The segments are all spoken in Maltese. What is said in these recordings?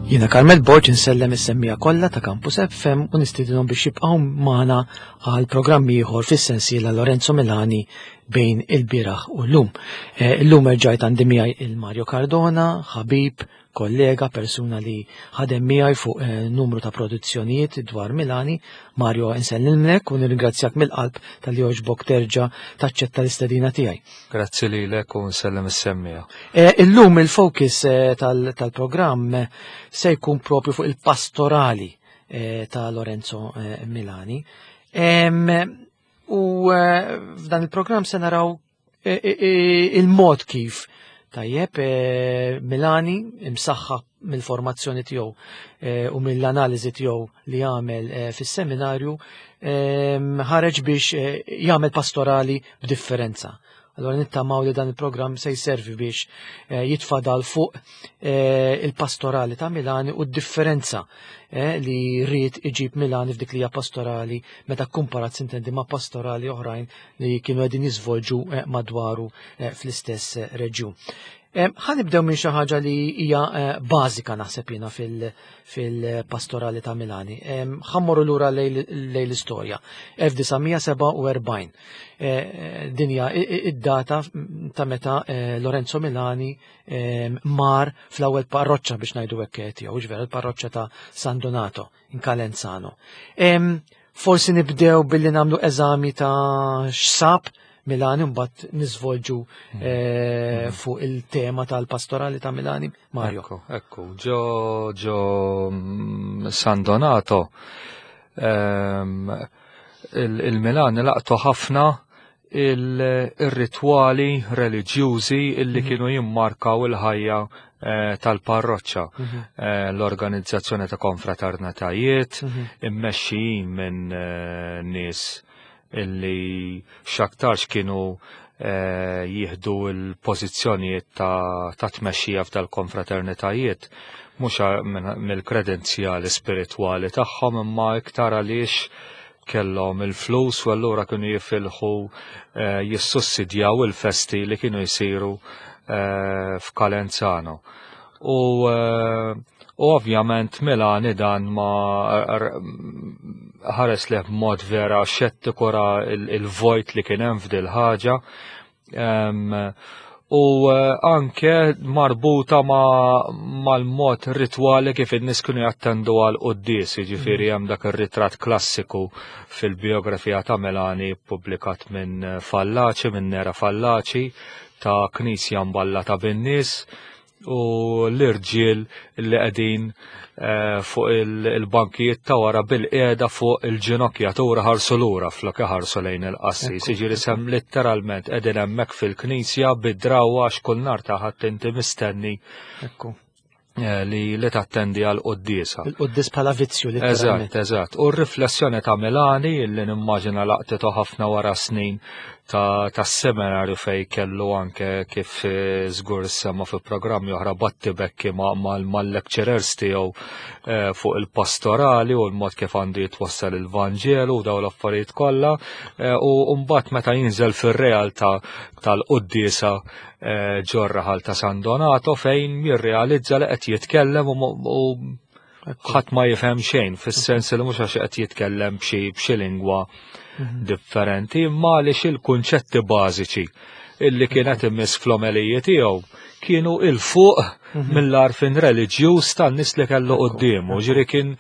Jiena Carmel Borg insellem is-semmija kollha ta' Campus FM u nistidinhom biex jibqgħu magħna għal programm ieħor fis-sensiela Lorenzo Milani bejn il-bieraħ u llum. Eh, illum erġajt għandi miegħi il-Mario Cardona, ħabib, kollega, persuna li ħadem miegħi fuq eh, numru ta' produzzjonijiet dwar Milani. Mario, insellimlek u nirringrazzjak mill-qalb tal-li oġbok terġa' taċċetta l-istedina tiegħi. Grazzi lilek u nsellem is-semmija. Eh, illum il-focus eh, tal-programm se jkun propju fuq il-pastorali ta' Lorenzo Milani. U f'dan il-programm se naraw il-mod kif tajjeb Milani imsaħħa mill-formazzjoni tiegħu u mill-analiżi tiegħu li għamel fis-seminarju ħareġ biex jagħmel pastorali b'differenza. Allora nittamaw li dan il-programm se jservi biex eh, jitfadal fuq eh, il-pastorali ta' Milani u d-differenza eh, li rrid iġib Milani f'dik li hija pastorali meta kumparat sintendi ma' pastorali oħrajn li kienu qegħdin jiżvolġu eh, madwaru eh, fl-istess eh, reġjun. Ħa nibdew minn xi ħaġa li hija bażika naħseb jiena fil-pastorali ta' Milani. Ħammorru lura lejn l-istorja. 1947. Dinja id-data ta' meta Lorenzo Milani mar fl-ewwel parroċċa biex ngħidu hekk tiegħu, ġvera l-parroċċa ta' San Donato in Calenzano. Forsi nibdew billi nagħmlu eżami ta' x'sab Milani mbagħad niżvolġu hmm. eh, hmm. fuq il-tema tal-pastorali ta' Milani. Mario. Ekku, ekku, ġo ġo mm, San Donato ehm, il-Milani laqtu ħafna il-ritwali reliġjużi illi mhm. kienu jimmarkaw il-ħajja eh, tal-parroċċa. Mhm. Eh, l-organizzazzjoni ta' konfraternitajiet, mhm. immexxijin minn eh, nies illi x'aktarx kienu jieħdu l-pożizzjonijiet ta' tmexxija f'dal-konfraternitajiet mhux mill-kredenzjali spiritwali tagħhom imma iktar għaliex kellhom il-flus u allura kienu jifilħu eh, jissussidjaw il-festi li kienu jsiru eh, f'Kalenzano. U, eh, u ovvjament Milani dan ma ħares li b'mod vera xettiku ra il-vojt li kien hemm f'dil ħaġa u eh, anke marbuta mal-mod ritwali kif in-nies kienu jattendu għal quddies, jiġifieri mm. hemm dak ir-ritratt klassiku fil-biografija ta' Melani ppubblikat minn Fallaci, minn Nera Fallaci, ta' knisja mballata bin-nies u l-irġiel li qegħdin eh, fuq il-bankijiet ta' wara bil-qiegħda fuq il-ġinokjatura ħarsu lura flok iħarsu lejn il-qassis. Jiġifieri sem letteralment qegħdin hemmhekk fil-knisja bid-drawwa għax kull nhar ta' ħadd inti mistenni. Ekku. Eh, li li tattendi għal quddiesa. Il-quddis bħala vizzju li. Eżatt, eżatt. U r-riflessjoni ta' Milani li nimmaġina laqtitu ħafna wara snin ta' tas-seminarju fej kellu anke kif eh, żgur semma fi programmi oħra battibekki mal-lecturers tiegħu eh, fuq il-pastorali u l-mod kif għandu jitwassal il-Vanġelu u dawn l-affarijiet kollha u mbagħad meta jinżel fir-realtà tal-quddiesa Eh, ġor-raħal ta' San Donato fejn jirrealizza li qed jitkellem u ħadd ma jifhem xejn fis-sens li mhux għax qed jitkellem b'xi lingwa mhm. differenti, imma għaliex il-kunċetti bażiċi illi kienet imiss fl-omeliji tiegħu kienu il fuq mhm. mill-arfin reliġjuż tan-nies li kellu quddiemu. Ġiri kien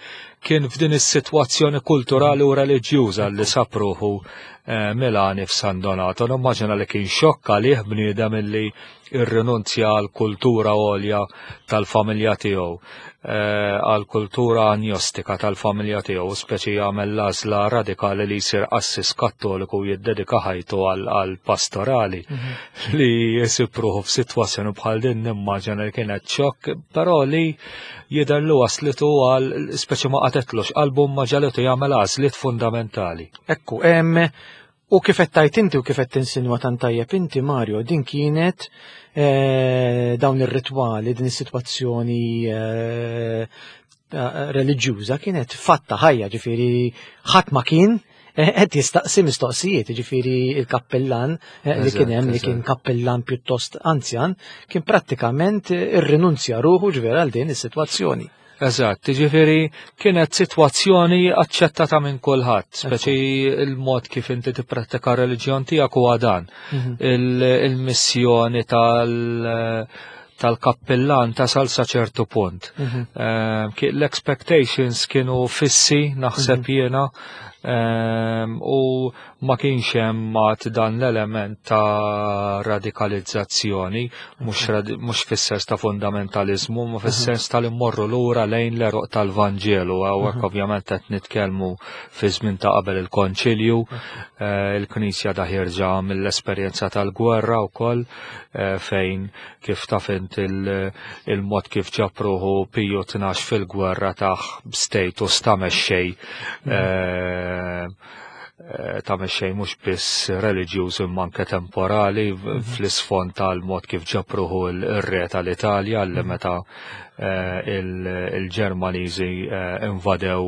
kien f'din is-sitwazzjoni kulturali u reliġjuża li sapruħu eh, Milani f'San Donato. Nimmaġina li kien xokk għalih bniedem illi irrinunzja għal kultura għolja tal-familja tiegħu, eh, għal kultura agnostika tal-familja tiegħu, speċi jagħmel l-għażla radikali li jsir qassis kattoliku u jiddedika ħajtu għal pastorali mhm. li jsib ruħu f'sitwazzjoni bħal din nimmaġina li kienet xokk, però li jidher li waslitu għal speċi ma qatetlux qalbu ma ġalitu jagħmel għażliet fundamentali. Ekku, u kif qed tajt inti u kif qed tinsinwa tant tajjeb inti Mario, din kienet eh, dawn ir-ritwali, din is-sitwazzjoni eh, reliġjuża kienet fatta ħajja, ġifieri ħadd ma kien eh, qed jistaqsi mistoqsijiet, ġifieri il-kappellan li kien hemm li kien kappellan pjuttost anzjan, kien prattikament irrinunzja ruħu ġvera għal din is-sitwazzjoni. Eżatt, jiġifieri kienet sitwazzjoni aċċettata minn kulħadd, speċi il-mod kif inti tipprattika r-reliġjon tiegħek huwa dan. Il-missjoni tal-kappillan tasal sa ċertu punt. L-expectations kienu fissi, naħseb jiena, u ma kienx hemm mat dan l-element ta' radikalizzazzjoni, mhux fis-sens ta' fundamentalizmu, ma fis-sens tal-immorru lura lejn l-għeruq tal-Vanġelu. Hawnhekk ovvjament qed nitkellmu fi żmien ta' qabel il-Konċilju, il-Knisja da ħierġa mill-esperjenza tal-gwerra wkoll, fejn kif taf int il-mod kif ġab ruħu Piju 12 fil-gwerra taħ status ta' mexxej, ta' mexxej mhux biss reliġjuż imma anke temporali fl-isfond tal-mod kif ġab ruħu il-re tal-Italja li meta il-Ġermaniżi invadew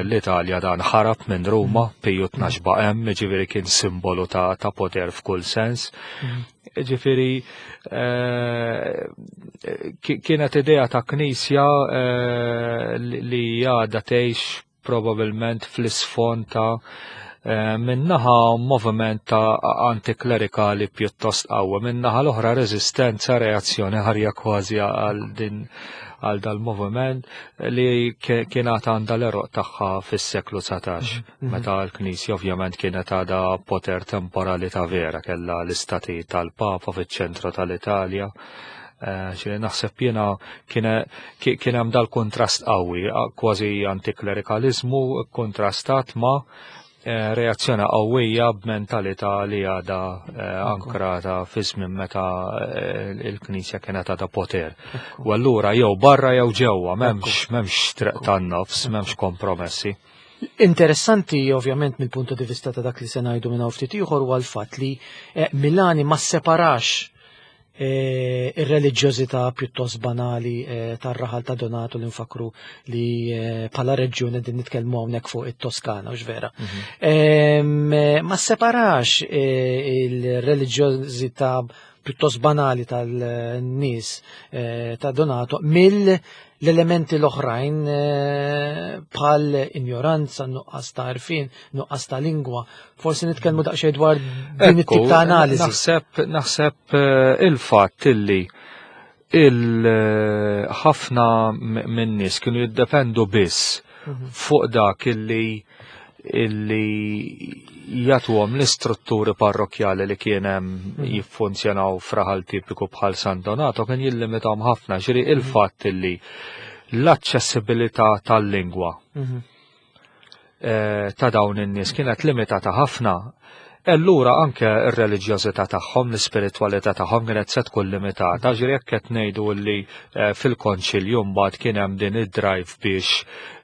l-Italja dan ħarab minn Ruma, Piju 12 baqa' hemm, jiġifieri kien simbolu ta' poter f'kull sens. Ġifieri kienet idea ta' knisja li għadha tgħix probabilment fl-isfond ta' minnaħa moviment ta' antiklerikali pjuttost qawwi, minnaħa l-oħra reżistenza, reazzjoni ħarja kważi għal din għal dal-moviment li kienet għandha l-għeruq tagħha fis-seklu 19, meta l-Knisja ovvjament kienet għadha poter temporali ta' vera, kellha l-istati tal-Papa fiċ-ċentru tal-Italja. Xi naħseb jiena kien hemm dal-kontrast qawwi, kważi antiklerikalizmu kontrastat ma' reazzjoni qawwija b'mentalità li għadha ankrata fi żmien meta il-Knisja kienet għadha poter. U allura jew barra jew ġewwa, m'hemmx triq tan-nofs, m'hemmx kompromessi. Interessanti ovvjament mill-punto di vista ta' dak li se ngħidu minn hawn ftit ieħor huwa l-fatt li Milani ma separax ir-reliġjożità pjuttost banali tar-raħal ta' Donato li nfakru li bħala reġjun qegħdin nitkellmu hawnhekk fuq it-Toskana, hux vera. Ma separax il-reliġjożità pjuttost banali tal-nies ta' Donato mill l-elementi l-oħrajn bħal ignoranza, nuqqas ta' għarfien, nuqqas ta' lingwa. Forsi nitkellmu daqsxejn dwar din it-tip ta' analiżi. Naħseb il-fatt illi il-ħafna minn nies kienu jiddependu biss fuq dak illi jagħtuhom l-istrutturi parrokjali li kien hemm jiffunzjonaw f'raħal tipiku bħal San Donato kien jillimitahom ħafna, ġifieri il-fatt illi l-aċċessibilità tal-lingwa ta' dawn in-nies kienet limitata ħafna. Allura anke r-reliġjożità tagħhom, l-ispiritwalità tagħhom kienet se tkun limitata, ġifieri jekk qed ngħidu li fil-konċilju mbagħad kien hemm din id-drive biex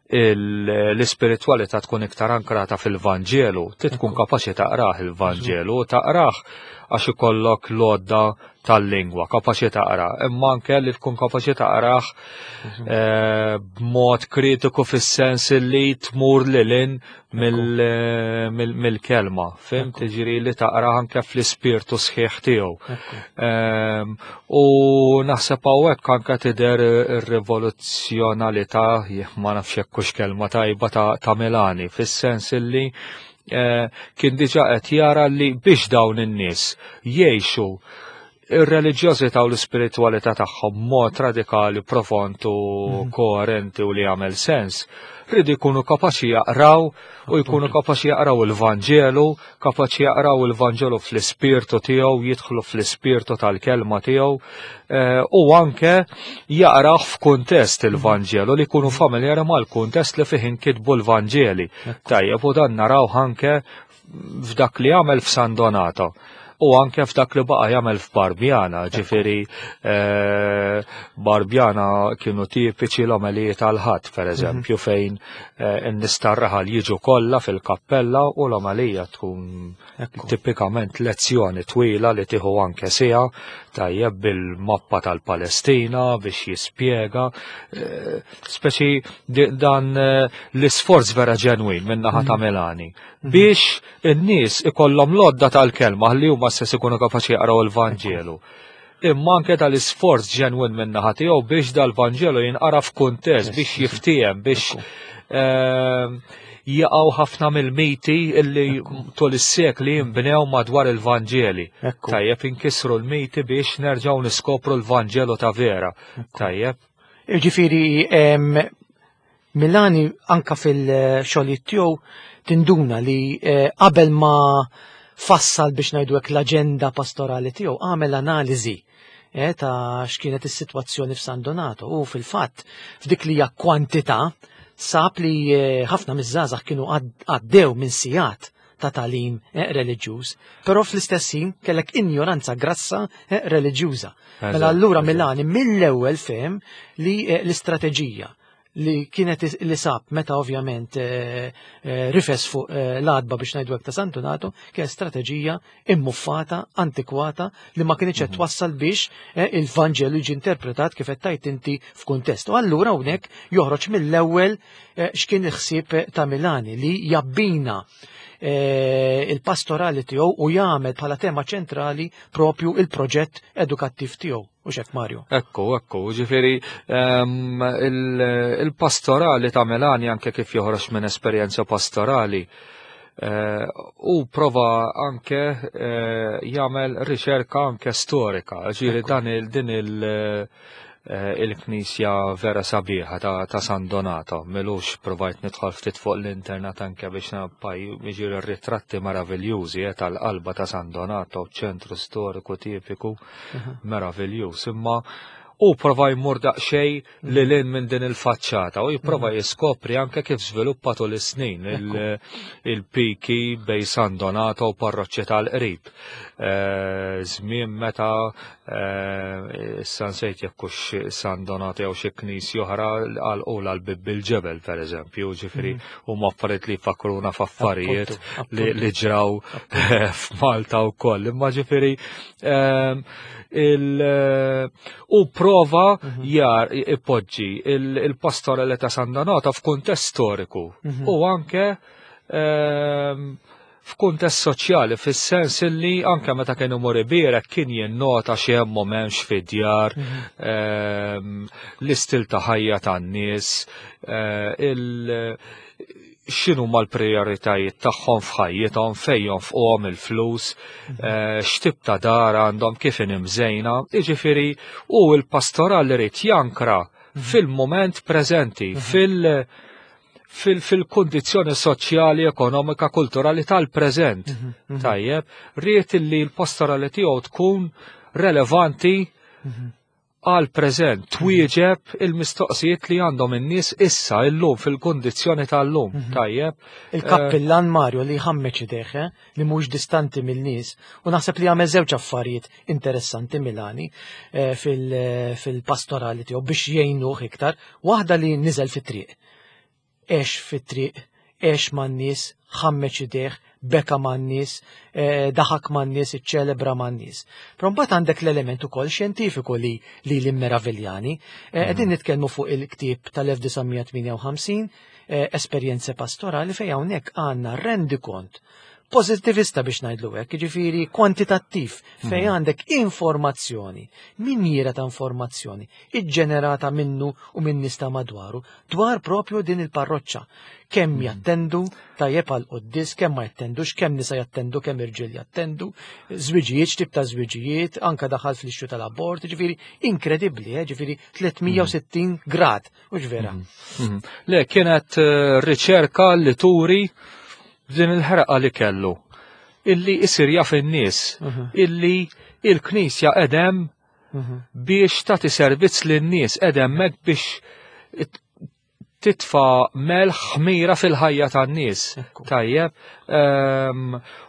l-ispiritwalità tkun iktar ankrata fil-Vanġelu, ti tkun kapaċi taqrah il-Vanġelu, taqrah għax ikollok l-għodda tal-lingwa, kapaċi taqra, imma anke li tkun kapaċi taqrah b'mod kritiku fis-sens li tmur lil mill-kelma, fim? Tiġri li taqra anke fl-ispirtu sħiħ tiegħu. U naħseb hawnhekk anke tidher ir-rivoluzzjonalità, ma nafx jekk hux kelma tajba ta' Milani, fis-sens illi kien diġà qed jara li biex dawn in-nies jgħixu ir-reliġjożità u l-ispiritwalità tagħhom mod radikali, profond u koerenti u li jagħmel sens, rridu jkunu kapaċi jaqraw u jkunu kapaċi jaqraw il-Vanġelu, kapaċi jaqraw il-Vanġelu fl-ispirtu tiegħu, jidħlu fl-ispirtu tal-kelma tiegħu, u anke jaqraw f'kuntest il-Vanġelu li jkunu familjari mal-kuntest li fih inkitbu l-Vanġeli. Tajjeb, u dan naraw anke f'dak li għamel f'San Donato u anke f'dak li baqa' jagħmel f'Barbjana, ġifieri Barbjana kienu tipiċi l-omeliji tal-Ħadd, per eżempju, fejn in-nies tar-raħal jiġu kollha fil-kappella u l-omelija tkun tipikament lezzjoni twila li tieħu anke siegħa, tajjeb bil-mappa tal-Palestina biex jispjega, speċi dan l-isforz vera ġenwin minn naħa ta' Milani biex in-nies ikollhom l-għodda tal-kelma li huma stess ikunu kapaċi jaqraw il-Vanġelu. imma anke tal-isforz ġenwin min-naħa tiegħu biex dal-Vanġelu jinqara f'kuntest, biex jiftiehem, biex jaqgħu ħafna mill-miti illi tul is-sekli jinbnew madwar il-Vanġeli. Tajjeb, inkisru l-miti biex nerġgħu niskopru l-Vanġelu ta' vera. Tajjeb. Ġifieri Milani anka fil-xogħlijiet tiegħu tinduna li qabel ma fassal biex ngħidu hekk l-aġenda pastorali tiegħu għamel analiżi ta' x'kienet is-sitwazzjoni f'San Donato u fil-fatt f'dik li hija kwantità sab li ħafna miż-żgħażagħ kienu għaddew minn sigħat ta' tagħlim reliġjuż, però fl-istess ħin kellek injoranza grassa reliġjuża. Mela allura Milani mill-ewwel fehem li l-istrateġija li kienet li sab meta ovvjament rifes fuq l-għatba biex ngħidu hekk ta' San Donato kienet strateġija immuffata, antikwata li ma kienx qed twassal biex il-Vanġelu jiġi interpretat kif qed tgħid inti f'kuntest. U allura hawnhekk joħroġ mill-ewwel x'kien il-ħsieb ta' Milani li jabbina il-pastorali tiegħu u jagħmel bħala tema ċentrali propju il-proġett edukattiv tiegħu. U xek Mario? Ekku, ekku, ġifieri il-pastorali ta' Milani anke kif joħroġ minn esperjenza pastorali u prova anke jagħmel riċerka anke storika, ġifieri dan din il-knisja vera sabiħa ta' San Donato, milux provajt nidħol ftit fuq l-internet anke biex nabaj jiġri ritratti meraviljużi tal-qalba ta' San Donato, ċentru storiku tipiku meraviljuż, imma u prova jmur daqsxejn lil hinn minn din il-faċċata u jipprova jiskopri anke kif żviluppa tul is-snin il-piki bejn San Donato u parroċċi tal-qrib. Żmien meta issa nsejt jekk hux San Donato jew xi knisja oħra għalqula l-bib bil-ġebel pereżempju, ġifieri huma affarijiet li jfakkruna f'affarijiet li ġraw f'Malta wkoll. Imma ġifieri u prova jar ipoġġi il-pastorali ta' San Donato f'kuntest storiku u anke f'kuntest soċjali, fis-sens illi anke meta kien imur ibierek kien jinnota xi hemm u m'hemmx fid-djar, l-istil ta' ħajja tan-nies, x'inhu mal-prijoritajiet tagħhom f'ħajjithom, fejn jonfquhom il-flus, x'tip ta' dar għandhom, kif inhi mżejna, jiġifieri u l-pastoral irid jankra fil-mument preżenti, fil-kundizzjoni soċjali, ekonomika, kulturali tal-preżent. Tajjeb, ried li l-pastorali tiegħu tkun relevanti għal preżent, twieġeb il-mistoqsijiet li għandhom in-nies issa illum fil-kundizzjoni tal-lum. Tajjeb. Il-kappillan Mario li ħammeċ idejh, li mhux distanti mill-nies, u naħseb li għamel żewġ affarijiet interessanti Milani fil-pastorali tiegħu biex jgħinuh iktar. Waħda li niżel fit-triq. Għex fit-triq, għex man-nies, ħammeċ idejh, beka man-nies, daħak man-nies, iċċelebra man-nies. Però mbagħad għandek l-element ukoll xjentifiku li li meraviljani. Qegħdin nitkellmu fuq il-ktieb tal-1958, Esperjenze Pastorali, fejn hawnhekk għandna rendikont pozitivista biex ngħidlu hekk, jiġifieri kwantitattiv, fejn għandek informazzjoni, minjiera ta' informazzjoni, iġġenerata minnu u minn nies ta' madwaru dwar propju din il-parroċċa. Kemm jattendu tajjeb għal quddis, kemm ma jattendux, kemm nisa jattendu, kemm irġiel jattendu, żwiġijiet, x'tip ta' żwiġijiet, anka daħal fl-ixxu tal-abort, ġifieri inkredibbli, ġifieri 360 grad, u vera. Le, kienet riċerka li turi din il-ħerqa li kellu, illi isir jaf in-nies, illi il-Knisja edem biex tagħti servizz lin-nies, edem hekk biex titfa' melħ ħmira fil-ħajja tan-nies. Tajjeb.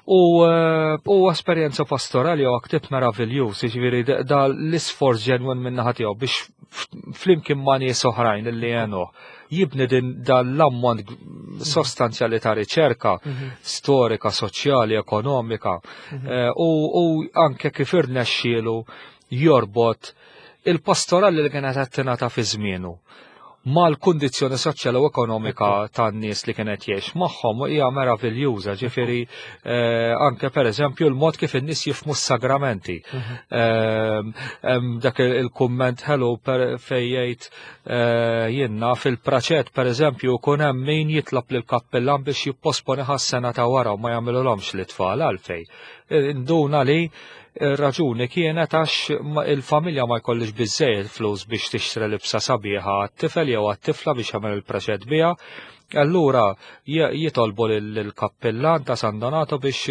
U esperjenza pastorali huwa ktieb meraviljuż, jiġifieri da l-isforz ġenwin min-naħa tiegħu biex flimkien ma' nies oħrajn li għenuh jibni din dan l-ammont sostanzjali ta' riċerka storika, soċjali, ekonomika, u anke kif irnexxielu jorbot il-pastorali li kienet qed tingħata fi żmienu. Mal-kundizzjoni soċjali u ekonomika tan-nies li kienet jgħix magħhom hija meraviljuża, ġifieri anke pereżempju l-mod kif in-nies jifhmu s-sagramenti. Dak il-kumment ħelu fejn jgħid jiena fil-praċett pereżempju jkun hemm min jitlob lill-kappillan biex jipposponi sena ta' wara u ma jagħmilulhomx l-itfal għalfejn. Induna li ir-raġuni kienet għax il-familja ma jkollix biżejjed flus biex tixtri libsa sabiħa għat-tifel jew għat-tifla biex jagħmel il-preċett biha. Allura jitolbu lill-kappillan ta' San Donato biex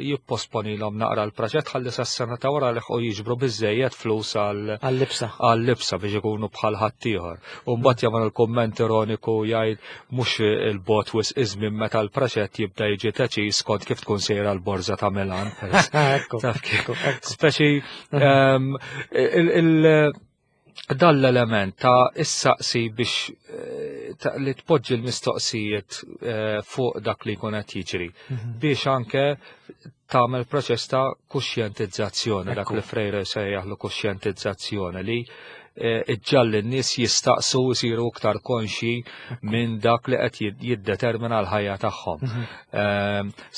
jipposponilhom naqra l-preċett ħalli sas-sena ta' wara liħqu jiġbru biżejjed flus għal-libsa għal-libsa biex ikunu bħal ħaddieħor. U mbagħad jagħmel il-kumment ironiku jgħid mhux il-bot wisq iż-żmien meta l-preċett jibda jiġi teċiż skont kif tkun sejra l-borża ta' Milan. Speċi dan l-element ta' issaqsi biex li tpoġġi l-mistoqsijiet fuq dak li jkun qed jiġri biex anke tagħmel proċess ta' kuxjentizzazzjoni, dak li Freire sejjaħlu kuxjentizzazzjoni li iġġalli n-nies jistaqsu jsiru iktar konxji minn dak li qed jiddetermina l-ħajja tagħhom.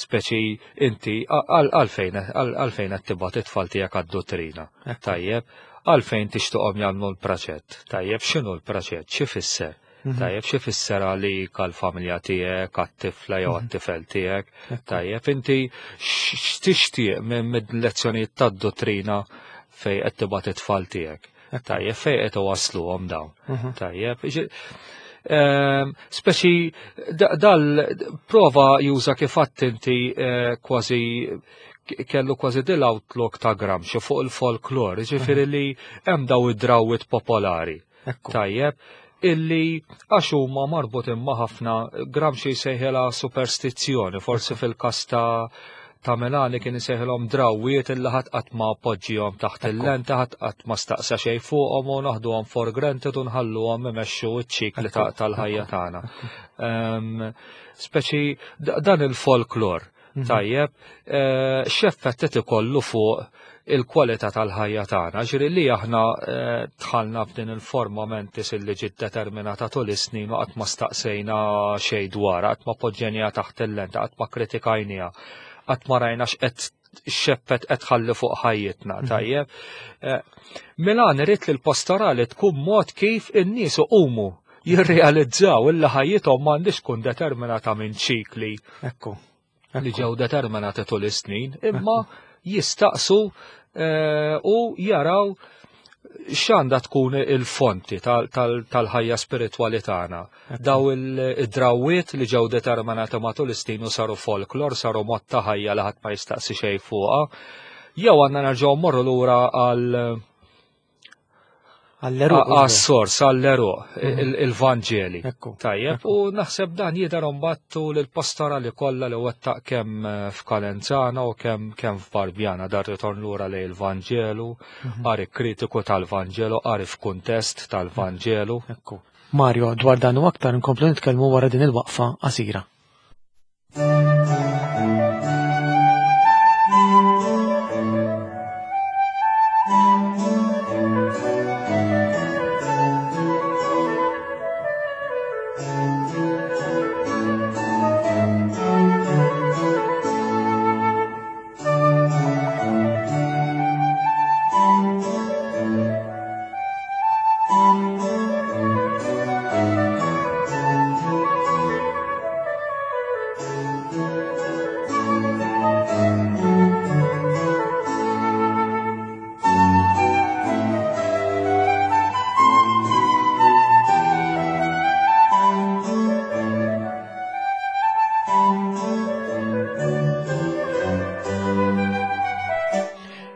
Speċi inti għalfejn qed tibgħat it-tfal tiegħek għad-dottrina. Tajjeb, għalfejn tixtuqhom jagħmlu l-praċett. Tajjeb, x'inhu l-praċett? X'ifisser? Tajjeb, x'ifisser għalik għall-familja tiegħek, għat-tifla jew għat-tifel tiegħek. Tajjeb, inti x'tixtieq minn lezzjonijiet tad-dottrina fejn qed tibgħat it-tfal tiegħek. Tajjeb, fejn qed iwasluhom dawn. Tajjeb, speċi dal prova juża kif għedt inti kważi kellu kważi dil outlook ta' Gramsci fuq il-folklor, ġifieri li hemm daw id-drawwiet popolari. Tajjeb, illi għax huma marbutin ma' ħafna Gramsci jsejħilha superstizzjoni, forsi fil-każ ta' Milani kien isejħilhom drawwiet illi ħadd qatt ma poġġihom taħt il-lenta, ħadd qatt ma staqsa xejn fuqhom u naħduhom for granted u nħalluhom imexxu ċ-ċikli tal-ħajja tagħna. Speċi dan il-folklor, tajjeb, x'effett qed ikollu fuq il-kwalità tal-ħajja tagħna. Ġifieri li aħna dħalna f'din il-forma mentis illi ġiet determinata tul is-snin u qatt ma staqsejna xejn dwarha, qatt ma poġġejniha taħt il-lenta, qatt ma kritikajniha, qatt ma rajna x'qed x'effett qed tħalli fuq ħajjitna, tajjeb. Milan irid li l-pastorali tkun mod kif in-nies iqumu jirrealizzaw illi ħajjithom m'għandix tkun determinata minn ċikli. Li ġew determinati tul is-snin, imma jistaqsu u jaraw x'għandha tkun il-fonti tal-ħajja spiritwali tagħna. Daw id-drawwiet li ġew determinati matul is-snin u saru folklor, saru mod ta' ħajja li ħadd ma jistaqsi xejn fuqha. Jew għandna nerġgħu mmorru lura għal Għall-eruq. Għas-sors, għall-eruq, il-Vanġeli. Tajjeb, u naħseb dan jidher mbattu l-pastorali kollha li wettaq kemm f'Kalenzana u kemm f'Barbjana, dar ritorn lura lejn il-Vanġelu, qari kritiku tal-Vanġelu, qari f'kuntest tal-Vanġelu. Mario, dwar dan u aktar nkomplu nitkellmu wara din il-waqfa qasira.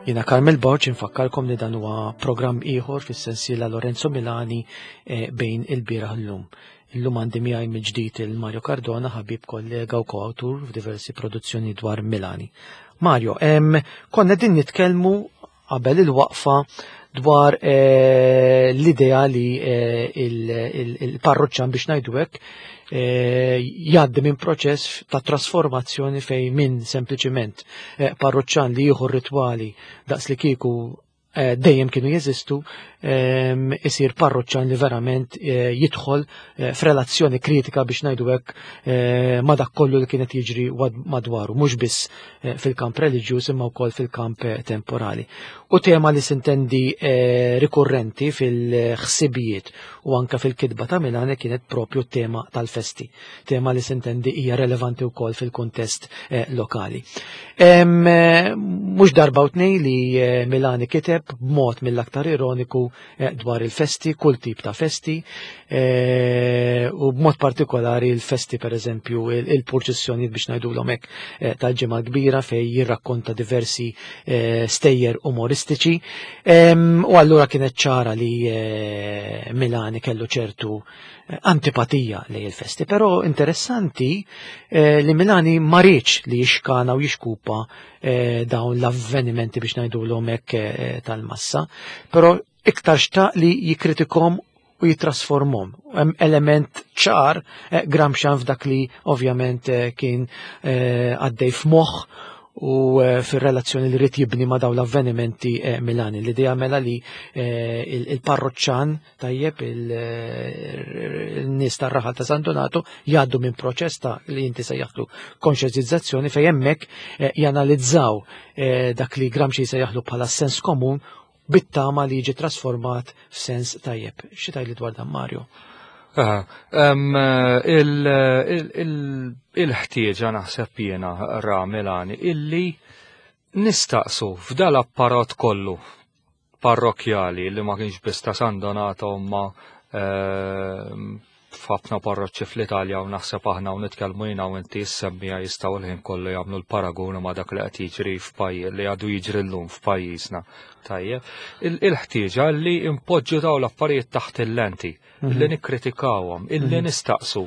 Jiena Carmel Borg infakkarkom li dan huwa programm ieħor fis-sensiela Lorenzo Milani bejn il-bieraħ llum. Illum għandi miegħi mill-ġdid il-Mario Cardona, ħabib kollega u koawtur f'diversi produzzjoni dwar Milani. Mario, konna din nitkellmu qabel il-waqfa dwar l-idea li il-parruċċan biex ngħidu hekk jgħaddi minn proċess ta' trasformazzjoni fejn minn sempliċiment parruċċan li jieħu ritwali daqs li kieku Dejjem kienu jeżistu, isir parroċċan li verament jidħol f'relazzjoni kritika, biex ngħidu hekk, ma' dak kollu li kienet jiġri madwaru, mhux biss fil-kamp reliġjuż imma wkoll fil-kamp temporali. U tema li sintendi rikurrenti fil-ħsibijiet u anka fil-kitba ta' Milani kienet propju tema tal-festi, tema li sintendi hija relevanti wkoll fil-kuntest lokali. Mhux darba u tnej li Milani kiteb b'mod mill-aktar ironiku dwar il-festi, kull tip ta' festi, u b'mod partikolari il-festi, per eżempju, il-purċissjonijiet, biex ngħidulhom hekk, tal-Ġimgħa Kbira, fej jirrakkonta diversi stejjer umoristiċi. U allura kienet ċara li Milani kellu ċertu antipatija lejn il-festi, però interessanti li Milani ma riedx li jixkana u jixkupa dawn l-avvenimenti, biex ngħidulhom hekk, tal-massa, però iktar xtaq li jikritikom u jitrasformom. Hemm element ċar Gramscian f'dak li ovvjament kien għaddej f'moħħ u fir-relazzjoni li rrid jibni ma' dawn l-avvenimenti Milani. L-idea mela li il-parroċċan, tajjeb, il-nies tar-raħal ta' San Donato jgħaddu minn proċess ta' li inti sejjaħtlu konxjentizzazzjoni, fejn hemmhekk janalizzaw dak li Gramsci sejjaħlu bħala sens komun, bit-tama li jiġi trasformat f'sens tajjeb. Xi tgħidli dwar dan, Mario? Il-ħtieġa, naħseb jiena, ra Milani illi nistaqsu f'dal-apparat kollu parrokjali li ma kienx biss ta' San Donato ma f'ħafna parroċċi fl-Italja, u naħseb aħna u nitkellmu jiena u inti semmija jistgħu l-ħin kollu jagħmlu l-paragonu ma' dak li qed jiġri f'pajjiż, li għadu jiġri llum f'pajjiżna. Tajjeb, il-ħtieġa li impoġġu daw l-affarijiet taħt il-lenti, illi nikkritikawhom, illi nistaqsu.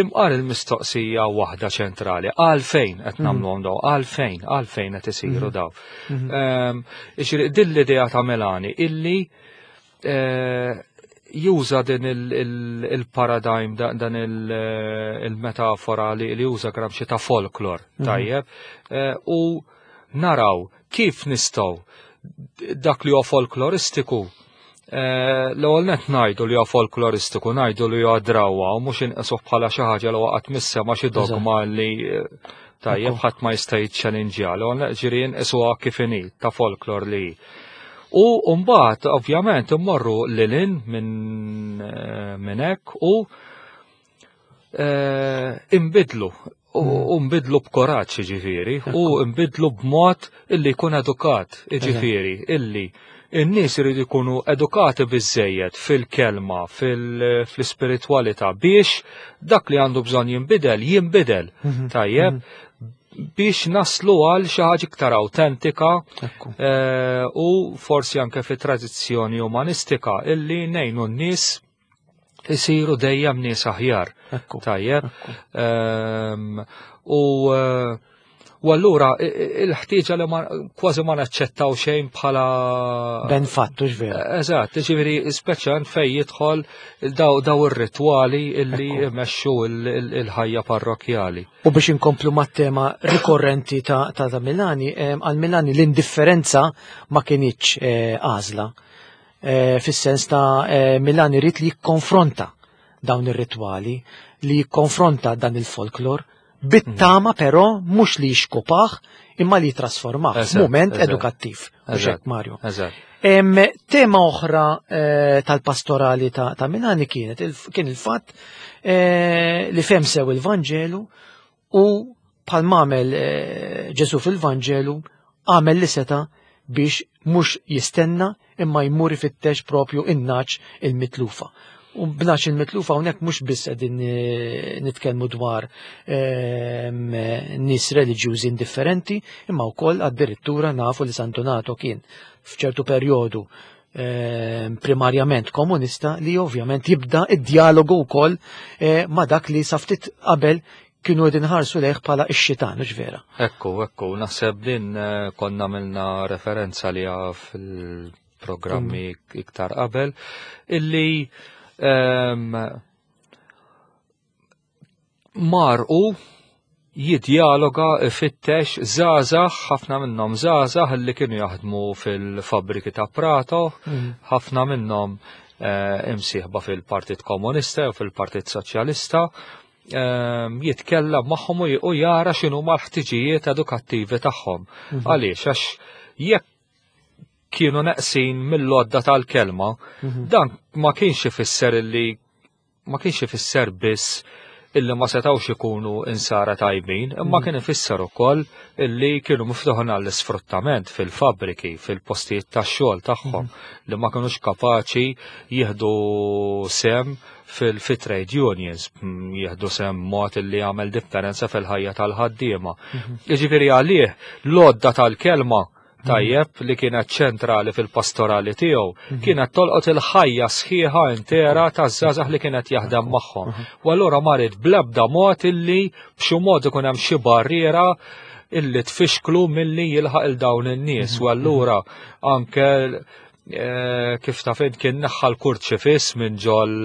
Imqar il-mistoqsija waħda ċentrali, għalfejn qed nagħmluhom daw, għalfejn qed isiru daw? Iġri, din l-idea ta' Milani illi juża din il-paradigm, dan il-metafora li juża Gramsci ta' folklor, tajjeb, u naraw kif nistgħu dak li huwa folkloristiku, l-ewwel net ngħidu li huwa folkloristiku, ngħidu li huwa drawwa u mhux inqisuh bħala xi ħaġa li waqgħet mis-sema, xi dogma li tajjeb ħadd ma jista' jiċċellinġja. L-ewwel net ġieri nqisuha kif inhi, ta' folklor li hi. U mbagħad ovvjament immorru lilin minn hekk u imbidlu u nbidlu b'koraġġ, ġifieri, u nbidlu b'mod illi jkun edukat, ġifieri, illi in-nies iridu jkunu edukati biżejjed fil-kelma, fl-ispiritwalità biex dak li għandu bżonn jinbidel, jinbidel. Tajjeb, biex naslu għal xi ħaġa iktar autentika u forsi anke fi tradizzjoni umanistika illi ngħinu n-nies isiru dejjem nies aħjar. Tajjeb. U allura il-ħtieġa li kważi ma naċċettaw xejn bħala ben fattu, vera. Eżatt, ġifieri speċjalment fejn jidħol daw ir-ritwali illi jmexxu il-ħajja parrokjali. U biex inkomplu mat-tema rikorrenti ta' Milani, għal Milani l-indifferenza ma kinitx għażla. Fis-sens ta' Milani rrid li jikkonfronta dawn ir-ritwali, li jikkonfronta dan il-folklor, bit-tama però mhux li jixkupaħ imma li jitrasformah f'mument edukattiv. Mhux hekk, Mario? Eżatt. Tema oħra tal-pastorali ta' Milani kien il-fatt li fem sew il-Vanġelu u bħal m'għamel Ġesu fil-Vanġelu, għamel li seta biex mhux jistenna imma jmur ifittex propju in-nagħaġ il-mitlufa. U b'nagħaġ il-mitlufa hawnhekk mhux biss qegħdin nitkellmu dwar nies reliġjużi indifferenti, imma wkoll addirittura nafu li San Donato kien f'ċertu perjodu primarjament komunista, li ovvjament jibda id-dialogu wkoll ma' dak li sa ftit qabel kienu qegħdin ħarsu lejh bħala x-xitan, mhux vera? Ekku, naħseb din konna għamilna referenza li fil-programmi iktar qabel, illi marqu Jidjaloga ifittex żgħażagħ, ħafna minnhom żgħażagħ li kienu jaħdmu fil-fabbriki ta' Prato, ħafna minnhom imsieħba fil-Partit Komunista u fil-Partit Soċjalista, jitkellem magħhom u jara x'inhu l-ħtiġijiet edukattivi tagħhom. Għaliex għax jekk kienu neqsin mill-għodda tal-kelma, dan ma kienx ifisser illi ma kienx ifisser biss illi ma setawx ikunu insara tajbin, imma kien ifisser ukoll illi kienu miftuħin għall-isfruttament fil-fabriki, fil-postijiet tax-xogħol tagħhom, li ma kinux kapaċi jieħdu sem fil-trade unions, jieħdu sem mod illi jagħmel differenza fil-ħajja tal-ħaddiema. Jiġifieri għalih l-għodda tal-kelma tajjeb li kienet ċentrali fil-pastorali tiegħu kienet tolqot il-ħajja sħiħa intera taż-żgħażagħ li kienet jaħdem magħhom. U allura ma ried bl-ebda mod illi b'xi mod ikun hemm xi barriera illi tfixklu milli jilħaq il dawn in-nies. U allura anke kif taf int kien neħħa l-kurċifiss minn ġol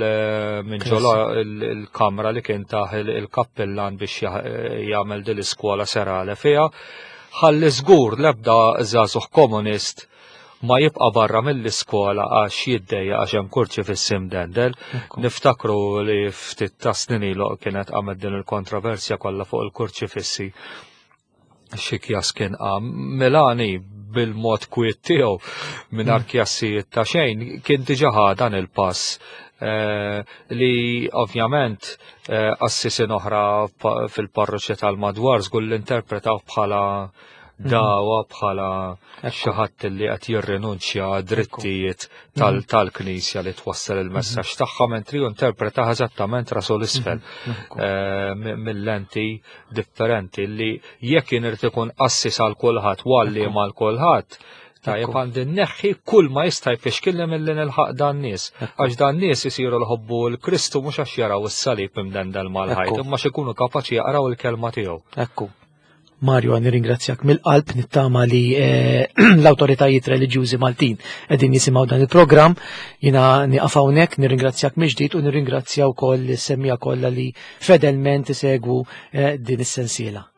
minn ġol il-kamra li kien taħ il-kappillan biex jagħmel din l-iskola serale fiha. Ħalli żgur l-ebda żagħżugħ komunist ma jibqa' barra mill-iskola għax jiddejja għax hemm kurċifiss imdendel. Niftakru li ftit ta' snin ilu kienet qamet din il-kontroversja kollha fuq il-kurċifissi. Xi kjas kien qam. Milani bil-mod kwiet tiegħu mingħajr kjassijiet ta' xejn kien diġà ħa dan il-pass li ovvjament qassisin oħra fil-parroċċi tal-madwar żgur li interpretaw bħala dawa, bħala xi ħadd li qed jirrinunċja drittijiet tal-Knisja li twassal il-messaġġ tagħha, mentri interpretaħ eżattament rasu l-isfel mill-lenti differenti li jekk jien irid ikun qassis għal kulħadd u għalliem għal kulħadd, tajjeb għandi neħħi kull ma jista' jfixkilni milli nilħaq dan nies. Għax dan nies isiru l-ħobbu l-Kristu mhux għax jaraw is-salib imdendel mal-ħajt, imma x'ikunu kapaċi jaqraw il-kelma tiegħu. Ekku. Mario, nirringrazzjak mill-qalb, nittama li l-autoritajiet reliġjużi Maltin qegħdin jisimgħu dan il-programm. Jiena nieqaf hawnhekk, nirringrazzjak mill-ġdid u nirringrazzja wkoll is-semmija kollha li fedelment isegwu din is-sensiela.